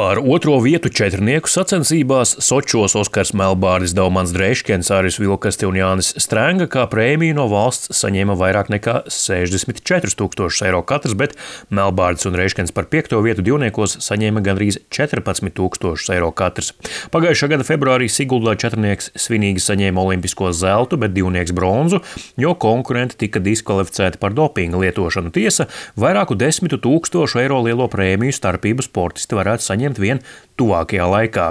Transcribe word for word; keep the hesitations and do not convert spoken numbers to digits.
Par otro vietu četrnieku sacensībās Sočos Oskars Melbārdis, Daumans Dreiškens, Aris Vilkaste un Jānis Strenga kā prēmiju no valsts saņēma vairāk nekā sešdesmit četrus tūkstošus eiro katrs, bet Melbārdis un Dreiškens par piekto vietu divniekos saņēma gandrīz četrpadsmit tūkstošus eiro katrs. Pagājušā gada februārī Siguldā četrnieks svinīgi saņēma olimpisko zeltu, bet divnieks bronzu, jo konkurenti tika diskvalificēti par dopinga lietošanu. Tiesa, vairāku desmitu tūkstošu eiro lielo prēmiju starpību sportisti varētu saņemt vien tuvākajā laikā.